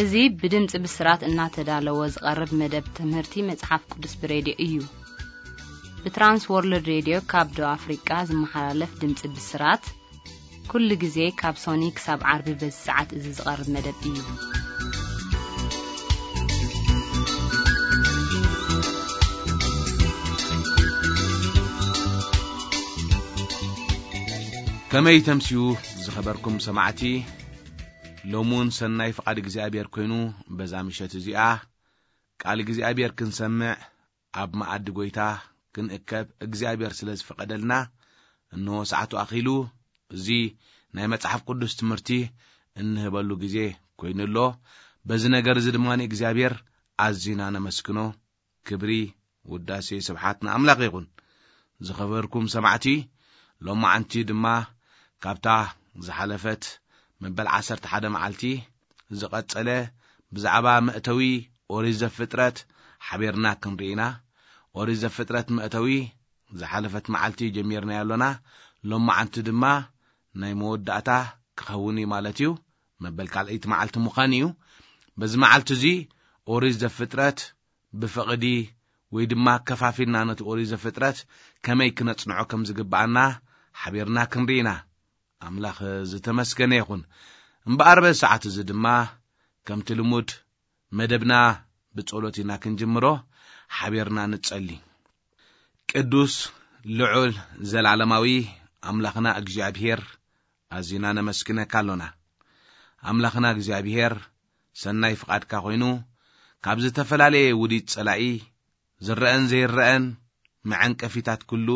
እዚ ብድምፂ ብስራት እናተዳለወ ዝቐርብ መደብ ትምህርቲ መጽሓፍ ቅዱስ ብሬድዮ እዩ። ብትራንስ ወርልድ ሬድዮ ካብ ደቡብ ኣፍሪቃ ዝመሓላለፍ ድምፂ ብስራት፣ ኩሉ ግዜ ካብ ሶኒ ክሳብ ዓርቢ በዚ ሰዓት እዚ ዝቐርብ መደብ እዩ። ከመይ ተምስዩ ዝኸበርኩም ሰማዕቲ፣ ሎሙን ሰናይ ፍቓድ እግዚኣብሔር ኮይኑ፣ በዛ ምሸት እዚኣ ቃል እግዚኣብሔር ክንሰምዕ፣ ኣብ መኣዲ ጐይታ ክንእከብ እግዚኣብሔር ስለ ዝፈቐደልና፣ እንሆ ሰዓቱ ኣኺሉ። እዚ ናይ መጽሓፍ ቅዱስ ትምህርቲ እንህበሉ ግዜ ኮይኑ ኣሎ። በዚ ነገር እዚ ድማ ንእግዚኣብሔር ኣዚና ነመስግኖ። ክብሪ፣ ውዳሴ፣ ስብሓት ንኣምላኽ ይኹን። ዝኸበርኩም ሰማዕቲ፣ ሎማዓንቲ ድማ ካብታ ዝሓለፈት መበል ዓሰርተ ሓደ መዓልቲ ዝቐጸለ ብዛዕባ መእተዊ ኦሪት ዘፍጥረት ሓቢርና ክንርኢ ኢና። ኦሪት ዘፍጥረት መእተዊ ዝሓለፈት መዓልቲ ጀሚርናዮ ኣሎና። ሎማዓንቲ ድማ ናይ መወዳእታ ክኸውን እዩ ማለት እዩ። መበል ካልኣይቲ መዓልቲ ምዃን እዩ። በዚ መዓልቲ እዚ ኦሪት ዘፍጥረት ብፍቕዲ ወይ ድማ ከፋፊልና ነቲ ኦሪት ዘፍጥረት ከመይ ክነጽንዖ ከም ዝግብኣና ሓቢርና ክንርኢ ኢና። ኣምላኽ ዝተመስገነ ይኹን። እምበኣር በዚ ሰዓት እዚ ድማ ከምቲ ልሙድ መደብና ብጸሎት ኢና ክንጅምሮ። ሓቢርና ንጸሊ። ቅዱስ፣ ልዑል፣ ዘላለማዊ ኣምላኽና እግዚኣብሔር፣ ኣዚና ነመስግነካ ኣሎና። ኣምላኽና እግዚኣብሔር፣ ሰናይ ፍቓድካ ኮይኑ፣ ካብ ዝተፈላለየ ውዲት ጸላኢ፣ ዝረአን ዘይረአን መዐንቀፊታት ኩሉ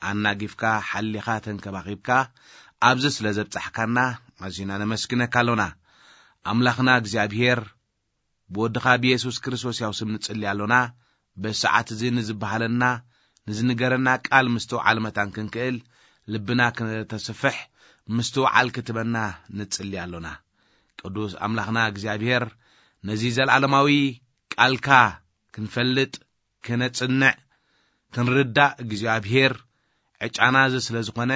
ኣናጊፍካ፣ ሓሊኻ፣ ተንከባኺብካ፣ ኣብዚ ስለ ዘብጻሕካና፣ ኣዚና ነመስግነካ ኣሎና። ኣምላኽና እግዚኣብሔር፣ ብወድኻ ብየሱስ ክርስቶስ ያው ስም ንጽሊ ኣሎና። በዚ ሰዓት እዚ ንዝበሃለና፣ ንዝንገረና ቃል ምስትውዓል መታን ክንክእል፣ ልብና ከተስፍሕ፣ ምስትውዓል ክትበና ንጽሊ ኣሎና። ቅዱስ ኣምላኽና እግዚኣብሔር፣ ነዚ ዘለዓለማዊ ቃልካ ክንፈልጥ፣ ክነጽንዕ፣ ክንርዳእ እግዚኣብሔር ዕጫና እዚ ስለ ዝኾነ፣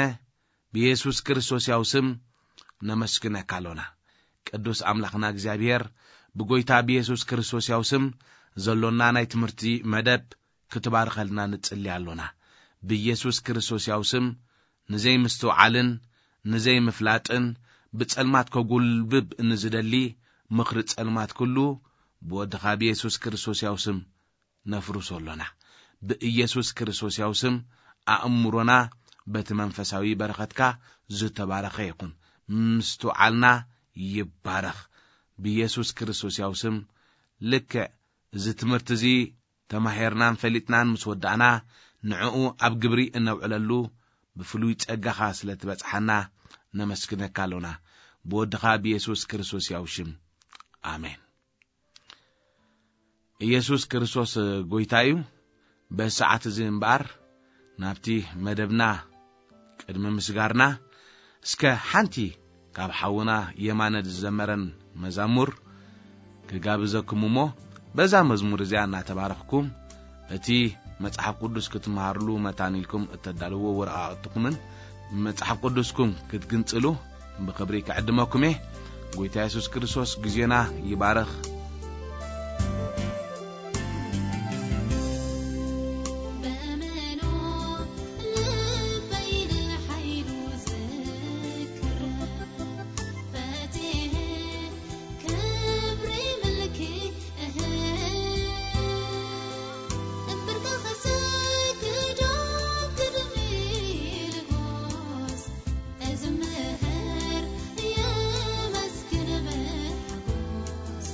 ብየሱስ ክርስቶስ ያው ስም ነመስግነካ ኣሎና። ቅዱስ ኣምላኽና እግዚኣብሔር፣ ብጎይታ ብየሱስ ክርስቶስ ያው ስም ዘሎና ናይ ትምህርቲ መደብ ክትባርኸልና ንጽሊ ኣሎና። ብየሱስ ክርስቶስ ያው ስም ንዘይምስትውዓልን ንዘይምፍላጥን ብጸልማት ከጉልብብ ንዝደሊ ምኽሪ ጸልማት ኩሉ ብወድኻ ብየሱስ ክርስቶስ ያው ስም ነፍርሶ ኣሎና። ብኢየሱስ ክርስቶስ ያው ስም ኣእምሮና በቲ መንፈሳዊ በረኸትካ ዝተባረኸ ይኹን። ምስትውዓልና ይባረኽ። ብኢየሱስ ክርስቶስ ያው ስም ልክዕ እዚ ትምህርቲ እዚ ተማሂርናን ፈሊጥናን ምስ ወዳእና፣ ንዕኡ ኣብ ግብሪ እነውዕለሉ ብፍሉይ ጸጋኻ ስለ ትበጽሓና ነመስግነካ ኣሎና። ብወድኻ ብየሱስ ክርስቶስ ያው ሽም። ኣሜን። ኢየሱስ ክርስቶስ ጐይታ እዩ። በዚ ሰዓት እዚ እምበኣር ናብቲ መደብና ቅድሚ ምስጋርና፣ እስከ ሓንቲ ካብ ሓውና የማነ ዝዘመረን መዛሙር ክጋብዘኩም እሞ፣ በዛ መዝሙር እዚኣ እናተባረኽኩም፣ እቲ መጽሓፍ ቅዱስ ክትመሃርሉ መታን ኢልኩም እተዳልዎ ወረቓቕትኹምን መጽሓፍ ቅዱስኩም ክትግንጽሉ ብኽብሪ ክዕድመኩም እየ። ጐይታ የሱስ ክርስቶስ ግዜና ይባርኽ። በመኖ ልበይ ንሓይሉ ዝክር ፈቴ ክብሪ ምልኪ እህ እምብርካ ክሰግዶ ክድሚ ልጎስ እዝምር የመስግን ብሓጎስ።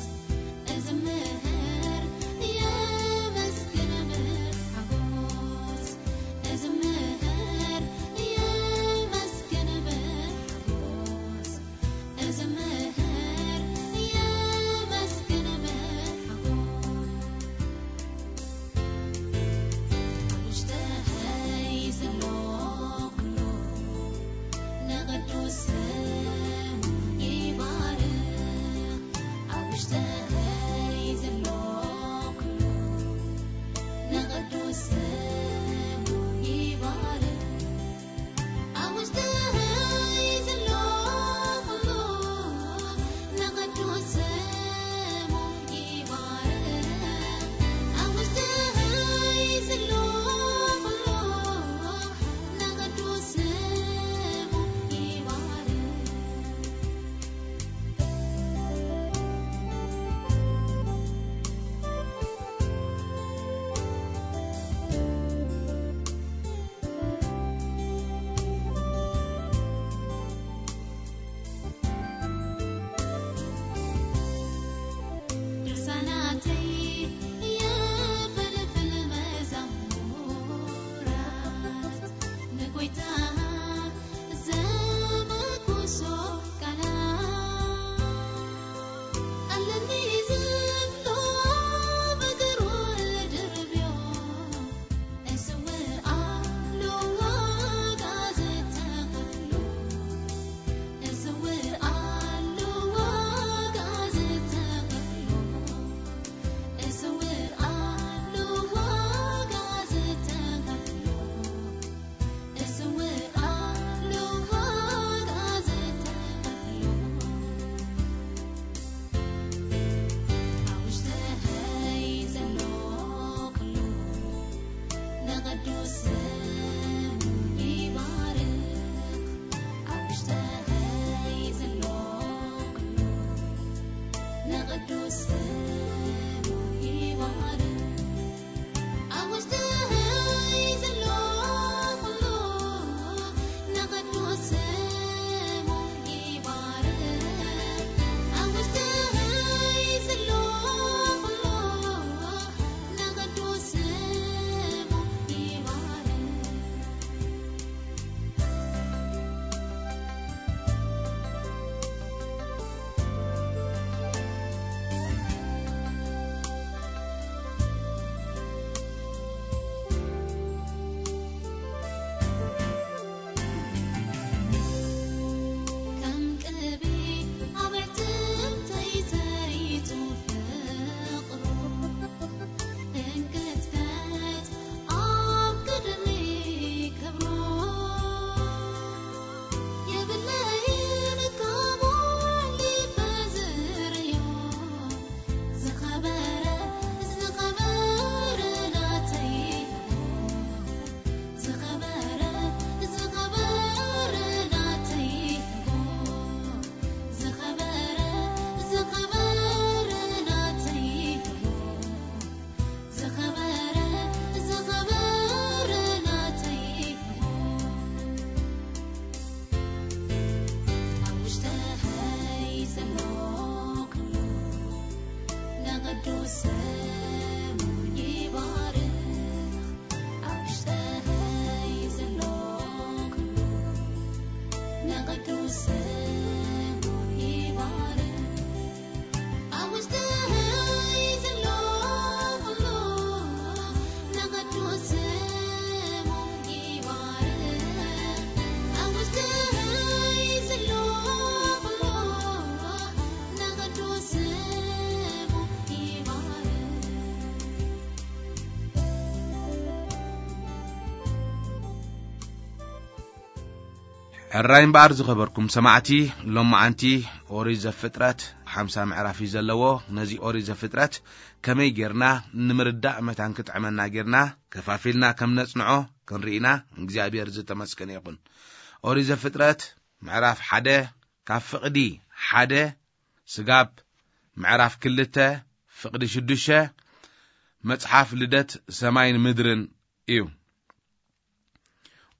ስሙ ይባረክ። ኣብ ውሽጠይ ዘሎ ኩሉ ንቕዱስ ስሙ ይባረክ። ኣብ ውሽጠይ ዘሎ ኩሉ ንቕዱስ ስሙ ይባረክ። ሕራይ እምበኣር ዝኸበርኩም ሰማዕቲ፣ ሎማዓንቲ ኦሪት ዘፍጥረት ሓምሳ ምዕራፍ እዩ ዘለዎ። ነዚ ኦሪት ዘፍጥረት ከመይ ጌርና ንምርዳእ መታን ክጥዕመና ጌርና ከፋፊልና ከም ነጽንዖ ክንርኢና እግዚኣብሔር ዝተመስገነ ይኹን። ኦሪት ዘፍጥረት ምዕራፍ ሓደ ካብ ፍቕዲ ሓደ ስጋብ ምዕራፍ ክልተ ፍቕዲ ሽዱሽተ መጽሓፍ ልደት ሰማይን ምድርን እዩ።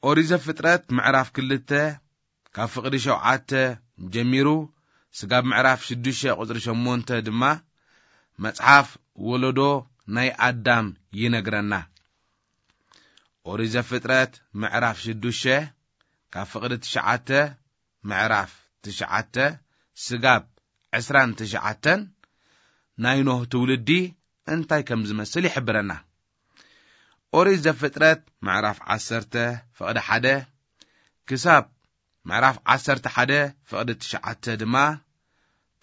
ኦሪት ዘፍጥረት ምዕራፍ ክልተ ካብ ፍቕዲ ሸውዓተ ጀሚሩ ስጋብ ምዕራፍ ሽዱሽተ ቁጽሪ ሸሞንተ ድማ መጽሓፍ ወለዶ ናይ ኣዳም ይነግረና። ኦሪት ዘፍጥረት ምዕራፍ ሽዱሽተ ካብ ፍቕዲ ትሽዓተ ምዕራፍ ትሽዓተ ስጋብ ዕስራን ትሽዓተን ናይ ኖህ ትውልዲ እንታይ ከም ዝመስል ይሕብረና። ኦሪት ዘፍጥረት ምዕራፍ ዓሰርተ ፍቕዲ ሓደ ክሳብ ምዕራፍ ዓሰርተ ሓደ ፍቕዲ ትሽዓተ ድማ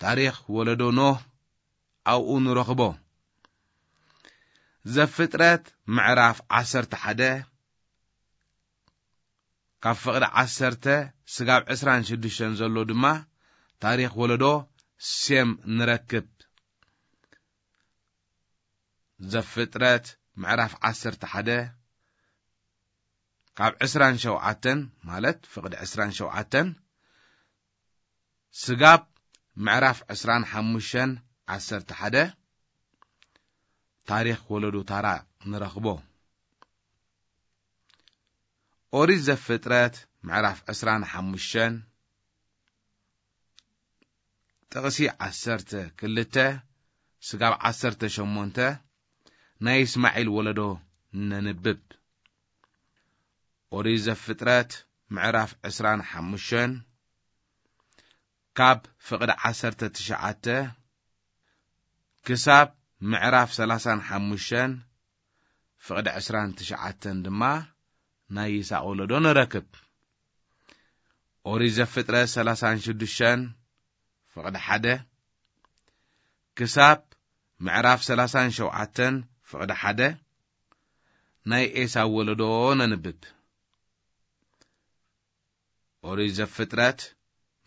ታሪኽ ወለዶ ኖህ ኣብኡ ንረኽቦ። ዘፍጥረት ምዕራፍ ዓሰርተ ሓደ ካብ ፍቕዲ ዓሰርተ ስጋብ ዕስራን ሽዱሽተን ዘሎ ድማ ታሪኽ ወለዶ ሴም ንረክብ። ዘፍጥረት ምዕራፍ ዓሰርተ ሓደ ካብ ዕስራን ሸውዓተን ማለት ፍቕዲ ዕስራን ሸውዓተን ስጋብ ምዕራፍ ዕስራን ሓሙሽተን ዓሰርተ ሓደ ታሪኽ ወለዶ ታራ ንረኽቦ። ኦሪት ዘፍጥረት ምዕራፍ ዕስራን ሓሙሽተን ጥቕሲ ዓሰርተ ክልተ ስጋብ ዓሰርተ ሸሞንተ ናይ እስማዒል ወለዶ ነንብብ። ኦሪት ዘፍጥረት ምዕራፍ ዕስራን ሓሙሽተን ካብ ፍቕዲ ዓሰርተ ትሽዓተ ክሳብ ምዕራፍ ሰላሳን ሓሙሽተን ፍቕዲ ዕስራን ትሽዓተን ድማ ናይ ይስሐቅ ወለዶ ንረክብ። ኦሪት ዘፍጥረት ሰላሳን ሽዱሽተን ፍቕዲ ሓደ ክሳብ ምዕራፍ ሰላሳን ሸውዓተን ፍቕዲ ሓደ ናይ ኤሳው ወለዶ ነንብብ። ኦሪት ዘፍጥረት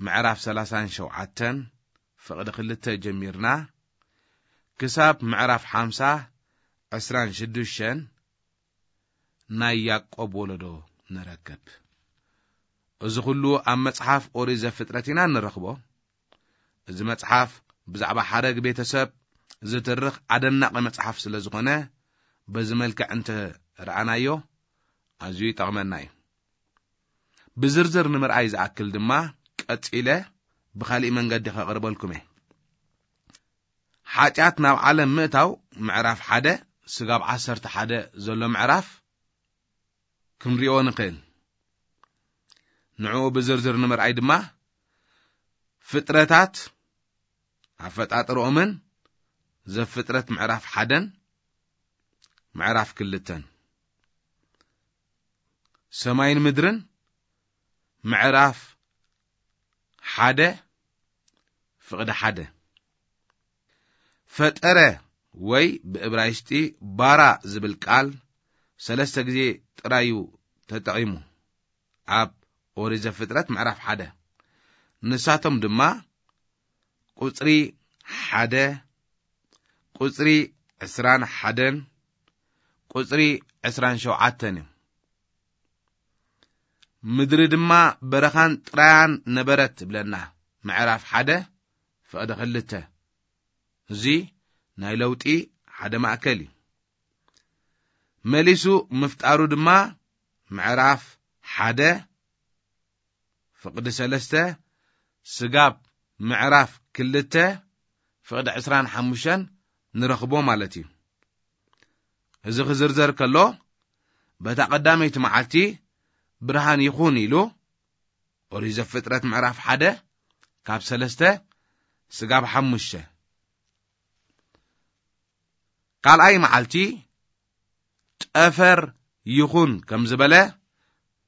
ምዕራፍ ሰላሳን ሸውዓተን ፍቕዲ ክልተ ጀሚርና ክሳብ ምዕራፍ ሓምሳ ዕስራን ሽዱሽተን ናይ ያዕቆብ ወለዶ ንረክብ። እዚ ኩሉ ኣብ መጽሓፍ ኦሪት ዘፍጥረት ኢና እንረኽቦ። እዚ መጽሓፍ ብዛዕባ ሓረግ ቤተሰብ ዝትርኽ ኣደናቂ መጽሓፍ ስለ ዝኾነ በዚ መልክዕ እንተ ረኣናዮ ኣዝዩ ይጠቕመና እዩ። ብዝርዝር ንምርኣይ ዝኣክል ድማ ቀጺለ ብኻሊእ መንገዲ ከቕርበልኩም እየ። ሓጢኣት ናብ ዓለም ምእታው ምዕራፍ ሓደ ስጋብ ዓሰርተ ሓደ ዘሎ ምዕራፍ ክንሪኦ ንኽእል። ንዕኡ ብዝርዝር ንምርኣይ ድማ ፍጥረታት ኣፈጣጥርኦምን ዘፍጥረት ምዕራፍ ሓደን ምዕራፍ ክልተን ሰማይን ምድርን ምዕራፍ ሓደ ፍቕዲ ሓደ። ፈጠረ ወይ ብእብራይስጢ ባራ ዝብል ቃል ሰለስተ ግዜ ጥራዩ ተጠቒሙ ኣብ ኦሪት ዘፍጥረት ምዕራፍ ሓደ። ንሳቶም ድማ ቁጽሪ ሓደ፣ ቁጽሪ ዕስራን ሓደን፣ ቁጽሪ ዕስራን ሸውዓተን እዮም። ምድሪ ድማ በረኻን ጥራያን ነበረት ትብለና። ምዕራፍ ሓደ ፍቕዲ ክልተ። እዚ ናይ ለውጢ ሓደ ማእከል እዩ። መሊሱ ምፍጣሩ ድማ ምዕራፍ ሓደ ፍቕዲ ሰለስተ ስጋብ ምዕራፍ ክልተ ፍቕዲ ዕስራን ሓሙሽተን ንረኽቦ ማለት እዩ። እዚ ክዝርዘር ከሎ በታ ቀዳመይቲ መዓልቲ ብርሃን ይኹን ኢሉ ኦሪት ዘፍጥረት ምዕራፍ ሓደ ካብ ሰለስተ ስጋብ ሓሙሽተ። ካልኣይ መዓልቲ ጠፈር ይኹን ከም ዝበለ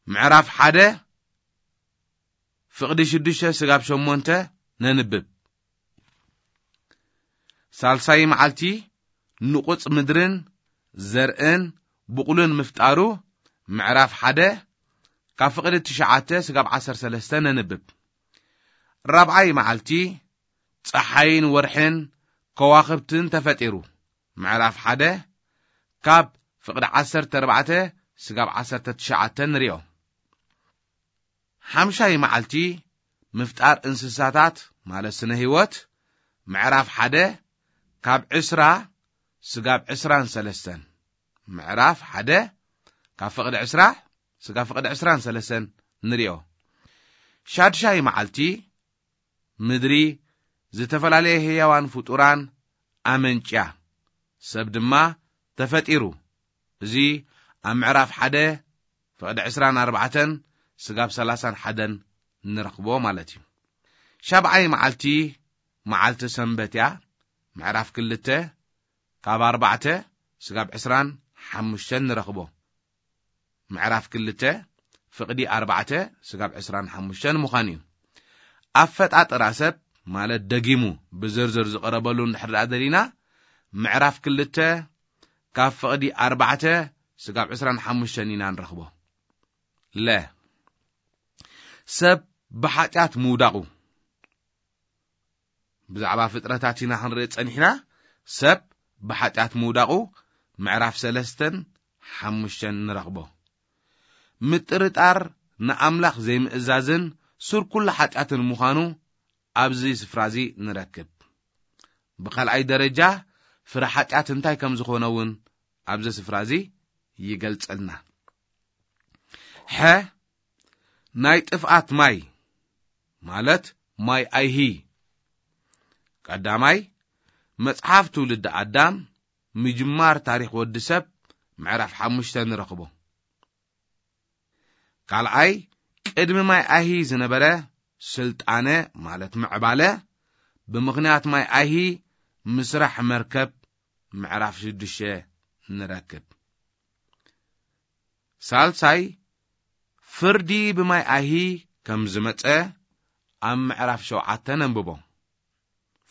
ምዕራፍ ሓደ ፍቕዲ ሽዱሽተ ስጋብ ሸሞንተ ነንብብ። ሳልሳይ መዓልቲ ንቑጽ ምድርን ዘርእን ብቑልን ምፍጣሩ ምዕራፍ ሓደ ካብ ፍቕዲ ትሽዓተ ስጋብ ዓሰርተ ሰለስተ ነንብብ። ራብዓይ መዓልቲ ጸሓይን ወርሕን ከዋኽብትን ተፈጢሩ ምዕራፍ ሓደ ካብ ፍቕዲ ዓሰርተ ኣርባዕተ ስጋብ ዓሰርተ ትሽዓተ ንሪኦ። ሓምሻይ መዓልቲ ምፍጣር እንስሳታት ማለት ስነ ህይወት ምዕራፍ ሓደ ካብ ዕስራ ስጋብ ዕስራን ሰለስተን። ምዕራፍ ሓደ ካብ ፍቕዲ ዕስራ ስጋብ ፍቕዲ ዕስራን ሰለስተን ንሪኦ። ሻድሻይ መዓልቲ ምድሪ ዝተፈላለየ ህያዋን ፍጡራን ኣመንጭያ፣ ሰብ ድማ ተፈጢሩ። እዚ ኣብ ምዕራፍ ሓደ ፍቕዲ ዕስራን ኣርባዕተን ስጋብ ሰላሳን ሓደን ንረኽቦ ማለት እዩ። ሻብዓይ መዓልቲ መዓልቲ ሰንበት እያ። ምዕራፍ ክልተ ካብ ኣርባዕተ ስጋብ ዕስራን ሓሙሽተን ንረኽቦ። ምዕራፍ ክልተ ፍቕዲ ኣርባዕተ ስጋብ ዕስራን ሓሙሽተን ምዃን እዩ። ኣፈጣጥራ ሰብ ማለት ደጊሙ ብዝርዝር ዝቐረበሉ እንድሕር ደኣ ደሊና ምዕራፍ ክልተ ካብ ፍቕዲ ኣርባዕተ ስጋብ ዕስራን ሓሙሽተን ኢና ንረኽቦ። ለ ሰብ ብሓጢኣት ምውዳቑ ብዛዕባ ፍጥረታት ኢና ክንርኢ ጸኒሕና። ሰብ ብሓጢኣት ምውዳቑ ምዕራፍ ሰለስተን ሓሙሽተን ንረኽቦ። ምጥርጣር ንኣምላኽ ዘይምእዛዝን ሱር ኩሉ ሓጢኣትን ምዃኑ ኣብዚ ስፍራ እዚ ንረክብ። ብኻልኣይ ደረጃ ፍረ ሓጢኣት እንታይ ከም ዝኾነ እውን ኣብዚ ስፍራ እዚ ይገልጸልና። ሐ ናይ ጥፍኣት ማይ ማለት ማይ ኣይሂ። ቀዳማይ መጽሓፍ ትውልዲ ኣዳም ምጅማር ታሪኽ ወዲ ሰብ ምዕራፍ ሓሙሽተ ንረኽቦ። ካልኣይ ቅድሚ ማይ ኣይሂ ዝነበረ ስልጣነ ማለት ምዕባለ ብምኽንያት ማይ ኣይሂ ምስራሕ መርከብ ምዕራፍ ሽዱሽተ ንረክብ። ሳልሳይ ፍርዲ ብማይ ኣይሂ ከም ዝመጸ ኣብ ምዕራፍ ሸውዓተ ነንብቦ።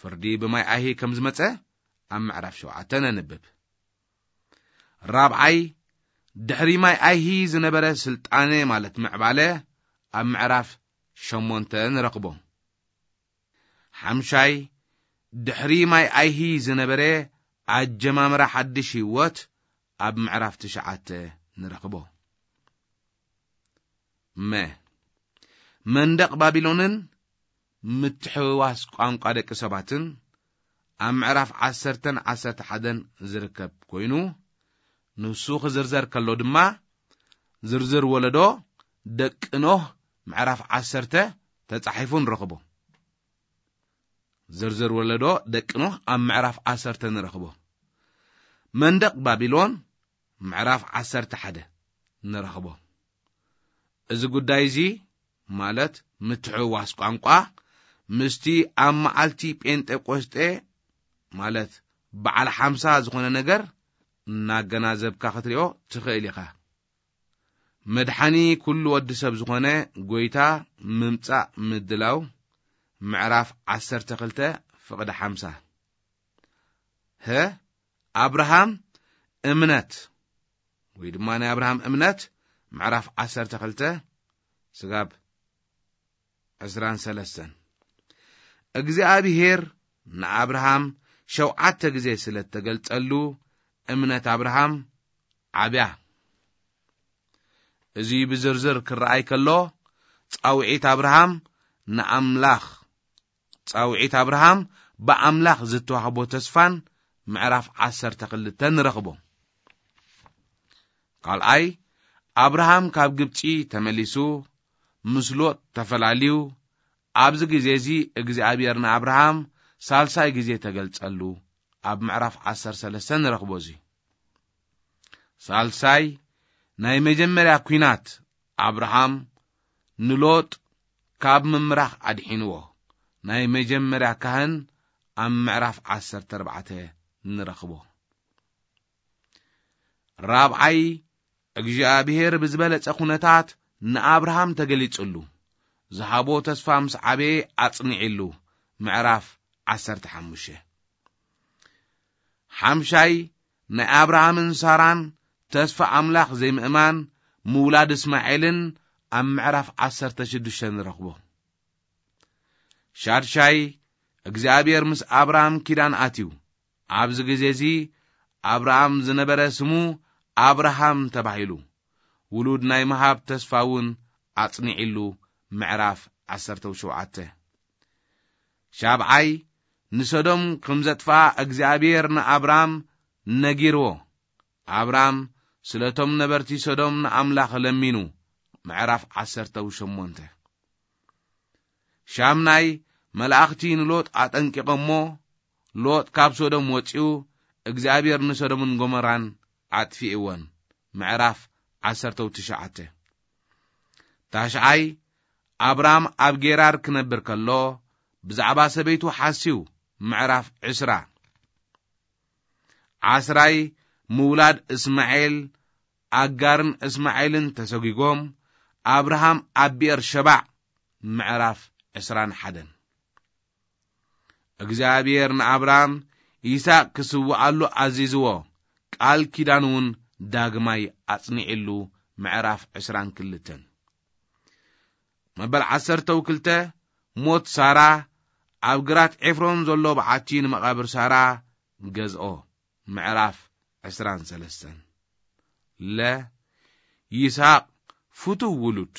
ፍርዲ ብማይ ኣይሂ ከም ዝመጸ ኣብ ምዕራፍ ሸውዓተ ነንብብ። ራብዓይ ድሕሪ ማይ ኣይሂ ዝነበረ ስልጣነ ማለት ምዕባለ ኣብ ምዕራፍ ሸሞንተ ንረኽቦ። ሓምሻይ ድሕሪ ማይ ኣይሂ ዝነበረ ኣጀማምራ ሓድሽ ህይወት ኣብ ምዕራፍ ትሽዓተ ንረኽቦ። መ መንደቕ ባቢሎንን ምትሕውዋስ ቋንቋ ደቂ ሰባትን ኣብ ምዕራፍ ዓሰርተን ዓሰርተ ሓደን ዝርከብ ኮይኑ ንሱ ክዝርዘር ከሎ ድማ ዝርዝር ወለዶ ደቂ ኖህ ምዕራፍ ዓሰርተ ተጻሒፉ ንረኽቦ። ዝርዝር ወለዶ ደቂ ኖህ ኣብ ምዕራፍ ዓሰርተ ንረኽቦ። መንደቕ ባቢሎን ምዕራፍ ዓሰርተ ሓደ ንረኽቦ። እዚ ጉዳይ እዚ ማለት ምትሕውዋስ ቋንቋ ምስቲ ኣብ መዓልቲ ጴንጤቆስጤ ማለት በዓል ሓምሳ ዝኾነ ነገር እናገናዘብካ ክትሪኦ ትኽእል ኢኻ። መድሓኒ ኩሉ ወዲ ሰብ ዝኾነ ጎይታ ምምጻእ ምድላው ምዕራፍ ዓሰርተ ክልተ ፍቕዲ ሓምሳ። ሀ ኣብርሃም እምነት ወይ ድማ ናይ ኣብርሃም እምነት ምዕራፍ ዓሰርተ ክልተ ስጋብ ዕስራን ሰለስተን። እግዚኣብሔር ንኣብርሃም ሸውዓተ ግዜ ስለ እተገልጸሉ እምነት ኣብርሃም ዓብያ። እዚ ብዝርዝር ክረኣይ ከሎ ጻውዒት ኣብርሃም ንኣምላኽ ጻውዒት ኣብርሃም ብኣምላኽ ዝተዋህቦ ተስፋን ምዕራፍ ዓሰርተ ክልተ ንረኽቦ። ካልኣይ ኣብርሃም ካብ ግብጺ ተመሊሱ ምስ ሎጥ ተፈላልዩ ኣብዚ ግዜ እዚ እግዚኣብሔር ንኣብርሃም ሳልሳይ ግዜ ተገልጸሉ ኣብ ምዕራፍ ዓሰርተ ሰለስተ ንረኽቦ እዚ። ሳልሳይ ናይ መጀመርያ ኲናት ኣብርሃም ንሎጥ ካብ ምምራኽ ኣድሒንዎ። ናይ መጀመርያ ካህን ኣብ ምዕራፍ ዓሰርተ ኣርባዕተ ንረኽቦ። ራብዓይ፣ እግዚኣብሔር ብዝበለጸ ኩነታት ንኣብርሃም ተገሊጽሉ፣ ዝሃቦ ተስፋ ምስ ዓበየ ኣጽኒዕሉ። ምዕራፍ ዓሰርተ ሓሙሽተ። ሓምሻይ፣ ናይ ኣብርሃምን ሳራን ተስፋ ኣምላኽ ዘይምእማን ምውላድ እስማኤልን ኣብ ምዕራፍ ዓሰርተ ሽዱሽተ ንረኽቦ። ሻድሻይ፣ እግዚኣብሔር ምስ ኣብርሃም ኪዳን ኣትዩ። ኣብዚ ግዜ እዚ ኣብርሃም ዝነበረ ስሙ ኣብርሃም ተባሂሉ። ውሉድ ናይ ምሃብ ተስፋ እውን ኣጽኒዕሉ። ምዕራፍ ዓሰርተ ሸውዓተ። ሻብዓይ፣ ንሰዶም ከም ዘጥፍኣ እግዚኣብሔር ንኣብርሃም ነጊርዎ። ኣብርሃም ስለቶም ነበርቲ ሰዶም ንኣምላኽ ለሚኑ። ምዕራፍ ዓሰርተ ሸሞንተ። ሻምናይ፣ መላእኽቲ ንሎጥ ኣጠንቂቖሞ፣ ሎጥ ካብ ሶዶም ወጺኡ፣ እግዚኣብሔር ንሰዶምን ጎመራን ኣጥፊእወን። ምዕራፍ ዓሰርተ ትሽዓተ። ታሽዓይ፣ ኣብራም ኣብ ጌራር ክነብር ከሎ፣ ብዛዕባ ሰበይቱ ሓስዩ። ምዕራፍ ዕስራ። ዓስራይ፣ ምውላድ እስማኤል፣ ኣጋርን እስማኤልን ተሰጒጎም፣ ኣብርሃም ኣብ ብኤር ሸባዕ። ምዕራፍ ዕስራን ሓደን። እግዚኣብሔር ንኣብርሃም ይስሐቅ ክስውኣሉ ኣዚዝዎ፣ ቃል ኪዳን እውን ዳግማይ ኣጽኒዕሉ። ምዕራፍ ዕስራን ክልተን። መበል ዓሰርተው ክልተ፣ ሞት ሳራ፣ ኣብ ግራት ኤፍሮን ዘሎ በዓቲ ንመቓብር ሳራ ገዝኦ። ምዕራፍ ዕስራን ሰለስተን። ለ፣ ይስሐቅ ፍቱው ውሉድ።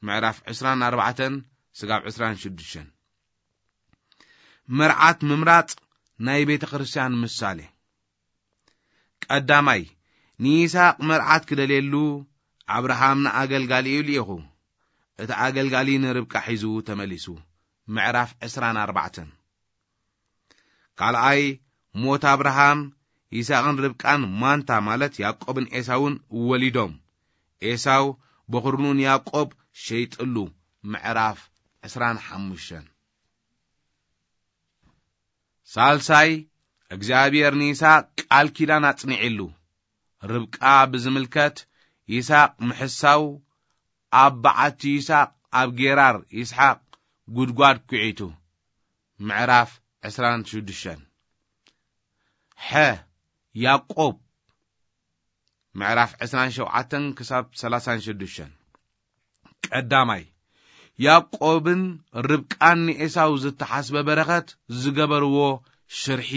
ምዕራፍ ዕስራን ኣርባዕተን ስጋብ ዕስራን ሽዱሽተን። መርዓት ምምራጽ ናይ ቤተ ክርስቲያን ምሳሌ። ቀዳማይ፣ ንይስሐቅ መርዓት ክደልየሉ ኣብርሃም ንኣገልጋሊኡ ልኢኹ። እቲ ኣገልጋሊ ንርብቃ ሒዙ ተመሊሱ። ምዕራፍ ዕስራን ኣርባዕተን። ካልኣይ፣ ሞት ኣብርሃም፣ ይስሐቅን ርብቃን ማንታ ማለት ያዕቆብን ኤሳውን ወሊዶም። ኤሳው በኹርኑን ያዕቆብ ሸይጥሉ። ምዕራፍ ዕስራን ሓሙሽተን። ሳልሳይ፣ እግዚኣብሔር ንይስሐቅ ቃል ኪዳን ኣጽኒዕሉ። ርብቃ ብዝምልከት ይስሐቅ ምሕሳው፣ ኣብ በዓቲ ይስሐቅ ኣብ ጌራር ይስሐቅ ጉድጓድ ኲዒቱ። ምዕራፍ ዕስራን ሽዱሽተን። ሐ፣ ያዕቆብ ምዕራፍ ዕስራን ሸውዓተን ክሳብ ሰላሳን ሽዱሽተን። ቀዳማይ፣ ያዕቆብን ርብቃን ንኤሳው ዝተሓስበ በረኸት ዝገበርዎ ሽርሒ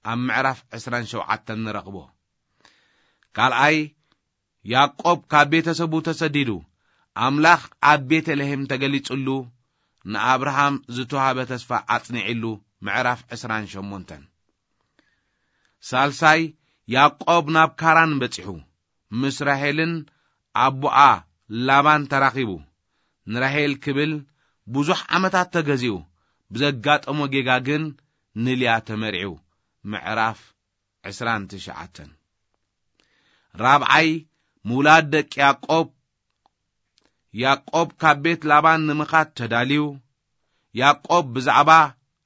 ኣብ ምዕራፍ ዕስራን ሸውዓተን ንረኽቦ። ካልኣይ፣ ያዕቆብ ካብ ቤተሰቡ ተሰዲዱ፣ ኣምላኽ ኣብ ቤተልሔም ተገሊጹሉ፣ ንኣብርሃም ዝተዋህበ ተስፋ ኣጽኒዕሉ። ምዕራፍ ዕስራን ሸሞንተን። ሳልሳይ፣ ያዕቆብ ናብ ካራን በጺሑ፣ ምስ ራሄልን ኣቦኣ ላባን ተራኺቡ። ንራሄል ክብል ብዙሕ ዓመታት ተገዚኡ፣ ብዘጋጠሞ ጌጋ ግን ንልያ ተመርዒው። ምዕራፍ ዕስራን ትሽዓተን። ራብዓይ፣ ምውላድ ደቂ ያዕቆብ። ያዕቆብ ካብ ቤት ላባን ንምኻድ ተዳልዩ። ያዕቆብ ብዛዕባ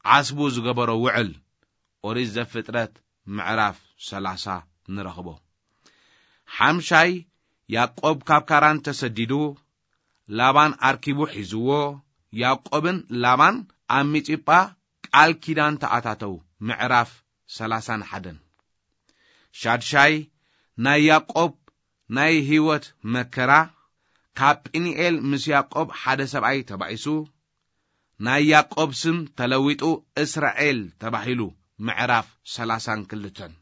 ዓስቡ ዝገበሮ ውዕል። ኦሪት ዘፍጥረት ምዕራፍ ሰላሳ ንረኽቦ። ሓምሻይ፣ ያዕቆብ ካብ ካራን ተሰዲዱ፣ ላባን ኣርኪቡ ሒዝዎ። ያዕቆብን ላባን ኣብ ሚጺጳ ቃል ኪዳን ተኣታተው። ምዕራፍ ሰላሳን ሓደን። ሻድሻይ፣ ናይ ያዕቆብ ናይ ህይወት መከራ። ካብ ጲኒኤል ምስ ያዕቆብ ሓደ ሰብኣይ ተባኢሱ፣ ናይ ያዕቆብ ስም ተለዊጡ እስራኤል ተባሂሉ። ምዕራፍ ሰላሳን ክልተን።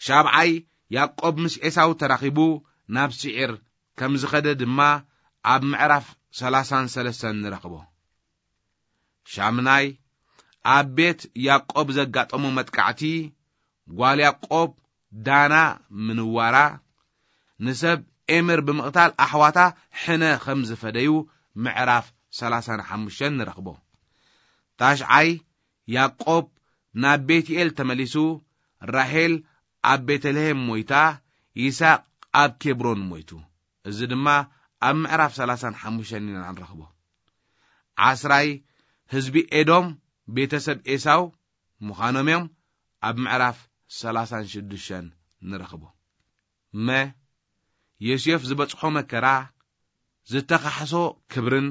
ሻብዓይ፣ ያዕቆብ ምስ ኤሳው ተራኺቡ ናብ ስዒር ከም ዝኸደ ድማ ኣብ ምዕራፍ ሰላሳን ሰለስተን ንረኽቦ። ሻምናይ፣ ኣብ ቤት ያዕቆብ ዘጋጠሞ መጥቃዕቲ፣ ጓል ያዕቆብ ዳና ምንዋራ፣ ንሰብ ኤምር ብምቕታል ኣሕዋታ ሕነ ከም ዝፈደዩ። ምዕራፍ ሰላሳን ሓሙሽተን ንረኽቦ። ታሽዓይ፣ ያዕቆብ ናብ ቤትኤል ተመሊሱ፣ ራሄል ኣብ ቤተልሔም ሞይታ፣ ይስሐቅ ኣብ ኬብሮን ሞይቱ። እዚ ድማ ኣብ ምዕራፍ ሰላሳን ሓሙሽተን ኢና ንረኽቦ። ዓስራይ ህዝቢ ኤዶም ቤተሰብ ኤሳው ምዃኖም እዮም ኣብ ምዕራፍ ሰላሳን ሽዱሽተን ንረኽቦ። መ፣ ዮሴፍ ዝበጽሖ መከራ ዝተኻሕሶ ክብርን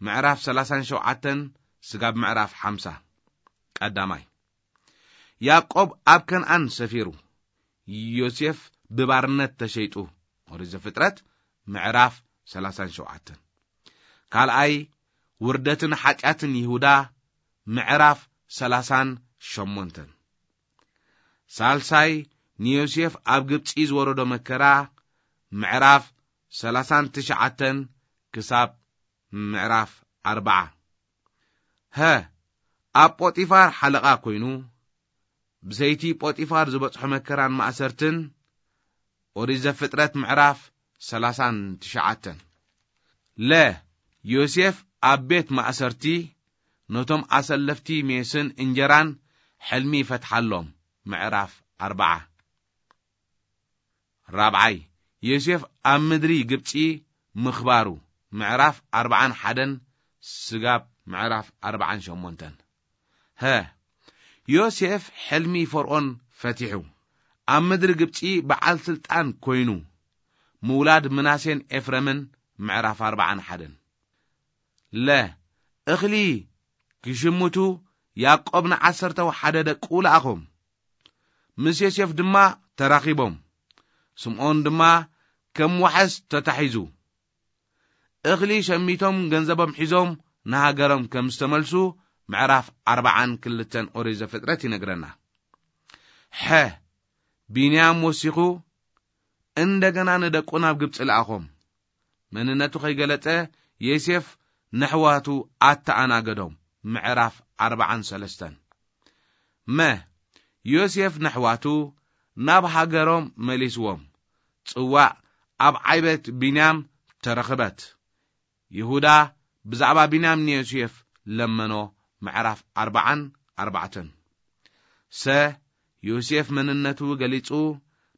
ምዕራፍ ሰላሳን ሸውዓተን ስጋብ ምዕራፍ ሓምሳ። ቀዳማይ፣ ያዕቆብ ኣብ ከነኣን ሰፊሩ፣ ዮሴፍ ብባርነት ተሸይጡ። ኦሪት ዘፍጥረት ምዕራፍ ሰላሳን ሸውዓተን። ካልኣይ፣ ውርደትን ሓጢኣትን ይሁዳ ምዕራፍ ሰላሳን ሸሞንተን። ሳልሳይ፣ ንዮሴፍ ኣብ ግብጺ ዝወረዶ መከራ ምዕራፍ ሰላሳን ትሽዓተን ክሳብ ምዕራፍ ኣርብዓ። ሀ፣ ኣብ ጶጢፋር ሓለቓ ኮይኑ፣ ብሰይቲ ጶጢፋር ዝበጽሖ መከራን ማእሰርትን። ኦሪት ዘፍጥረት ምዕራፍ ሰላሳን ትሽዓተን። ለ፣ ዮሴፍ ኣብ ቤት ማእሰርቲ ነቶም ኣሰለፍቲ ሜስን እንጀራን ሕልሚ ይፈትሓሎም። ምዕራፍ ኣርብዓ። ራብዓይ፣ ዮሴፍ ኣብ ምድሪ ግብጺ ምኽባሩ። ምዕራፍ ኣርብዓን ሓደን ስጋብ ምዕራፍ ኣርብዓን ሸሞንተን። ሀ፣ ዮሴፍ ሕልሚ ፈርኦን ፈቲሑ፣ ኣብ ምድሪ ግብጺ በዓል ስልጣን ኮይኑ፣ ምውላድ ምናሴን ኤፍረምን። ምዕራፍ ኣርብዓን ሓደን። ለ፣ እኽሊ ክሽምቱ ያዕቆብ ንዓሰርተው ሓደ ደቁ ለኣኾም። ምስ ዮሴፍ ድማ ተራኺቦም። ስምዖን ድማ ከም ዋሕስ ተታሒዙ። እኽሊ ሸሚቶም ገንዘቦም ሒዞም ንሃገሮም ከም ዝተመልሱ ምዕራፍ ኣርብዓን ክልተን ኦሪት ዘፍጥረት ይነግረና። ሐ፣ ቢንያም ወሲኹ እንደገና ንደቁ ናብ ግብጺ ለኣኾም። መንነቱ ከይገለጸ ዮሴፍ ነሕዋቱ ኣተኣናገዶም። ምዕራፍ ኣርብዓን ሰለስተን። መ፣ ዮሴፍ ነሕዋቱ ናብ ሃገሮም መሊስዎም። ጽዋዕ ኣብ ዓይበት ቢንያም ተረኽበት። ይሁዳ ብዛዕባ ቢንያም ንዮሴፍ ለመኖ። ምዕራፍ ኣርብዓን ኣርባዕተን። ሰ፣ ዮሴፍ መንነቱ ገሊጹ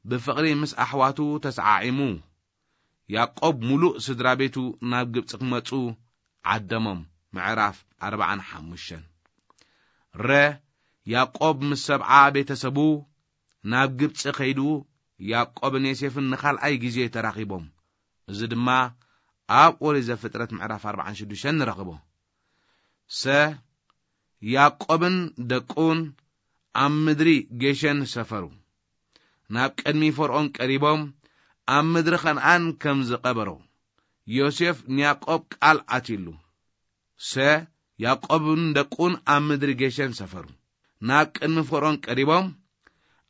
ብፍቕሪ ምስ ኣሕዋቱ ተሰዓዒሙ። ያዕቆብ ምሉእ ስድራ ቤቱ ናብ ግብጺ ክመጹ ዓደሞም። ምዕራፍ ኣርብዓን ሓሙሽተን። ረ፣ ያዕቆብ ምስ ሰብዓ ቤተሰቡ ናብ ግብጺ ከይዱ ያዕቆብን ዮሴፍን ንኻልኣይ ግዜ ተራኺቦም። እዚ ድማ ኣብ ኦሪት ዘፍጥረት ምዕራፍ ኣርብዓን ሽዱሽተን ንረኽቦ። ሰ፣ ያዕቆብን ደቁን ኣብ ምድሪ ጌሸን ሰፈሩ። ናብ ቅድሚ ፈርኦን ቀሪቦም ኣብ ምድሪ ከነኣን ከም ዝቐበሮ ዮሴፍ ንያዕቆብ ቃል ኣትዩሉ። ሰ፣ ያዕቆብን ደቁን ኣብ ምድሪ ጌሸን ሰፈሩ። ናብ ቅድሚ ፈርኦን ቀሪቦም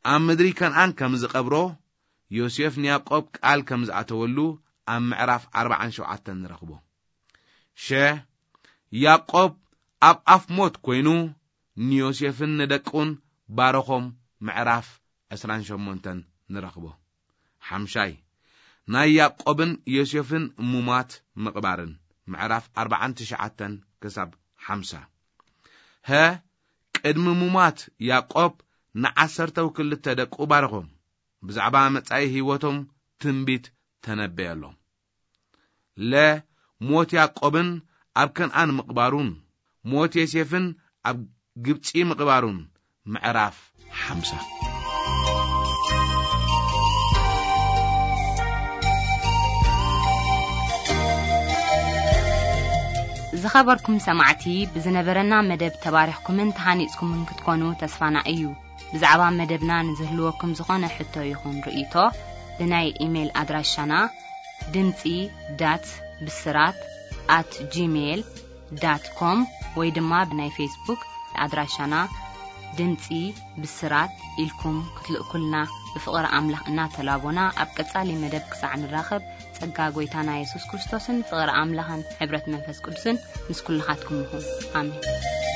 ኣብ ምድሪ ከነኣን ከም ዝቐብሮ ዮሴፍ ንያዕቆብ ቃል ከም ዝኣተወሉ ኣብ ምዕራፍ ኣርብዓን ሸውዓተን ንረኽቦ። ሸ፣ ያዕቆብ ኣብ ኣፍ ሞት ኮይኑ ንዮሴፍን ንደቁን ባረኾም። ምዕራፍ ዕስራን ሸሞንተን ንረኽቦ። ሓምሻይ፣ ናይ ያዕቆብን ዮሴፍን ሙማት ምቕባርን። ምዕራፍ ኣርብዓን ትሽዓተን ክሳብ ሓምሳ። ሀ፣ ቅድሚ ሙማት ያዕቆብ ንዓሰርተው ክልተ ደቁ ባረኾም። ብዛዕባ መጻኢ ህይወቶም ትንቢት ተነበየሎም። ለ፣ ሞት ያዕቆብን ኣብ ከነኣን ምቕባሩን፣ ሞት ዮሴፍን ኣብ ግብጺ ምቕባሩን። ምዕራፍ ሓምሳ። ዝኸበርኩም ሰማዕቲ፣ ብዝነበረና መደብ ተባሪኽኩምን ተሃኒጽኩምን ክትኮኑ ተስፋና እዩ። ብዛዕባ መደብና ንዝህልወኩም ዝኾነ ሕቶ ይኹን ርእይቶ፣ ብናይ ኢሜይል ኣድራሻና ድምጺ ዳት ብስራት ኣት ጂሜይል ዳት ኮም ወይ ድማ ብናይ ፌስቡክ ኣድራሻና ድምጺ ብስራት ኢልኩም ክትልእኩልና ብፍቕሪ ኣምላኽ እናተላቦና፣ ኣብ ቀጻሊ መደብ ክሳዕ ንራኸብ፣ ጸጋ ጐይታና የሱስ ክርስቶስን ፍቕሪ ኣምላኽን ሕብረት መንፈስ ቅዱስን ምስ ኩልኻትኩም ይኹን። ኣሜን።